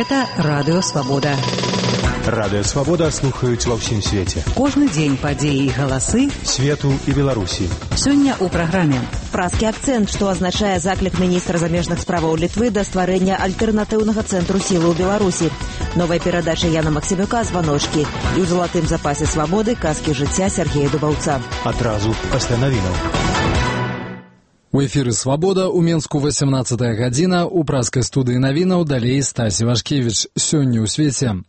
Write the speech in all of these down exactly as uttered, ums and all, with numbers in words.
Гэта Радыё Свабода. Радыё Свабода слухаюць ва ўсім свеце. Кожны дзень падзеі і галасы свету і Беларусі. Сёння ў праграме. Празкі акцэнт, што азначае заклік міністра замежных справаў Літвы да стварэння альтэрнатыўнага цэнтру сілы ў Беларусі. Новая перадача Яна Максімюка «Званочкі» і ў залатым запасе свабоды казкі жыцця Сергея Дубаўца. Адразу пасля навінаў. У эфіры «Свабода» у Менску восемнадцатая гадзіна, у празкай студыі навінаў далей Стасі Вашкевіч. Сёння ў свеце.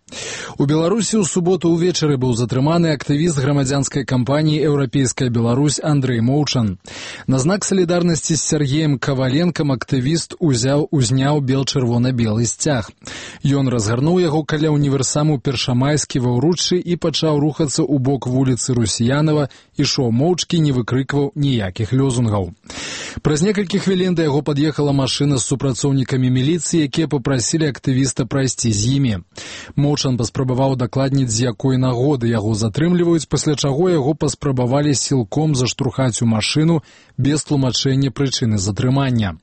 У Беларусі ў суботу ўвечары быў затрыманы актывіст грамадзянскай кампаніі «Еўрапейская Беларусь» Андрэй Моўчан. На знак салідарнасці з Сергеем Каваленкам актывіст узяў узняў бел-чырвона-белы сцяг. Ён разгарнуў яго каля універсаму Першамайскі ва ўруччы і пачаў рухацца ў бок вуліцы Русіянава, ішоў моўчкі, не выкрыкваў ніякіх лёзунгаў. Праз некалькі хвілін да яго пад'ехала машына з супрацоўнікамі міліцыі, якія папрасілі актывіста прайсці з імі. Моўчан паспрабаваў дакладніць, з якой нагоды яго затрымліваюць, пасля чаго яго паспрабавалі сілком заштурхаць у машыну без тлумачэння прычыны затрымання.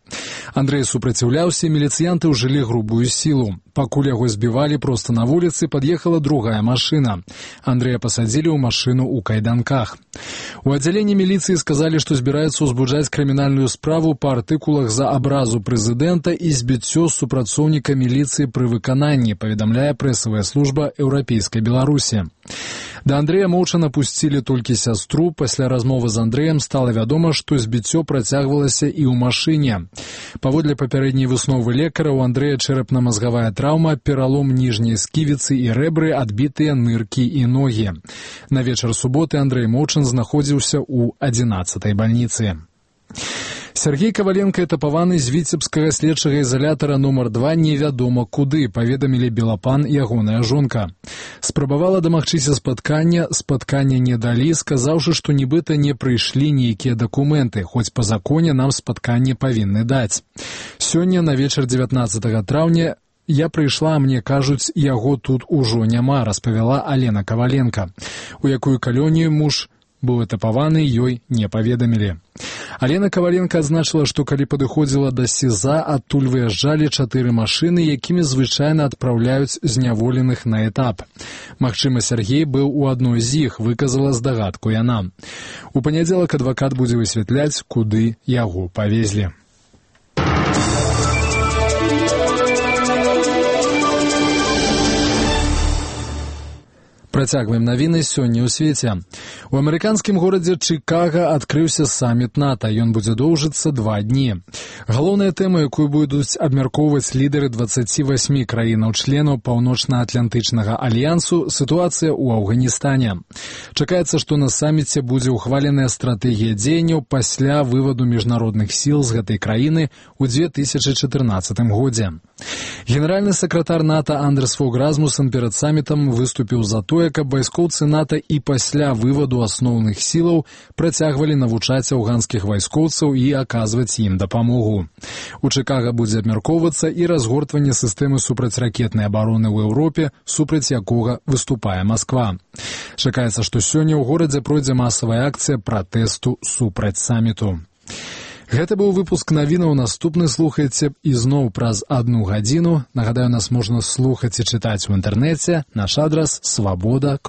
Андрэй супраціўляўся, міліцыянты ўжылі грубую сілу. Пакуль яго збівалі проста на вуліцы, пад'ехала другая машына. Андрэя пасадзілі ў машыну ў кайданках. У аддзяленні міліцыі сказалі, што збіраюцца ўзбуджаць крымінальную справу па артыкулах за абразу прэзідэнта і збіццё супрацоўніка міліцыі пры выкананні, паведамляе прэсавая служба Еўрапейскай Беларусі. Да Андрэя Моўчана пусцілі толькі сястру. Пасля размовы з Андрэем стала вядома, што збіццё працягвалася і ў машыне. Паводле папярэдняй высновы лекара, у Андрэя чэрапна-мазгавая траўма, пералом ніжняй сківіцы і рэбры, адбітыя ныркі і ногі. На вечар суботы Андрэй Моўчан знаходзіўся ў адзінаццатай бальніцы. Сергей Каваленка этапаваны з віцебскага следчага ізалятара нумар два невядома куды, паведамілі Белапан ягоная жонка. Спрабавала дамагчыся спаткання, спаткання не далі, сказаўшы, што нібыта не прыйшлі нейкія дакументы, хоць па законе нам спатканне павінны даць. Сёння на вечар дзевятнаццатага траўня я прыйшла, мне кажуць, яго тут ужо няма, распавяла Алена Каваленка. У якую калонію муж быў этапаваны, ёй не паведамілі. Алена Каваленка адзначыла, што калі падыходзіла да СІЗА, адтуль выязджалі чатыры машыны, якімі звычайна адпраўляюць зняволеных на этап. Магчыма, Сергей быў у адной з іх, выказала здагадку яна. У панядзелак адвакат будзе высвятляць, куды яго павезлі. Працягваем навіны сёння ў свеце. У амерыканскім горадзе Чыкага адкрыўся саміт НАТО. Ён будзе доўжыцца два дні. Галоўная тэма, якую будуць абмяркоўваць лідары дваццаці васьмі краінаў-членаў Паўночна-Атлантычнага альянсу, сітуацыя ў Афганістане. Чакаецца, што на саміце будзе ўхваленая стратэгія дзеянняў пасля вываду міжнародных сіл з гэтай краіны ў дзве тысячы чатырнаццатым годзе. Генеральны сакратар НАТО Андерс Фог Расмуссен перад самітам выступіў за тое, каб вайскоўцы НАТО і пасля вываду асноўных сілаў працягвалі навучаць афганскіх вайскоўцаў і аказваць ім дапамогу. У Чыкага будзе абмяркоўвацца і разгортванне сістэмы супрацьракетнай абароны ў Еўропе, супраць якога выступае Масква. Чакаецца, што сёння ў горадзе пройдзе масавая акцыя пратэсту супраць саміту. Гэта быў выпуск навінаў, наступны слухайце ізноў праз адну гадзіну. Нагадаю, нас можна слухаць і чытаць у інтэрнэце. Наш адрас свабода.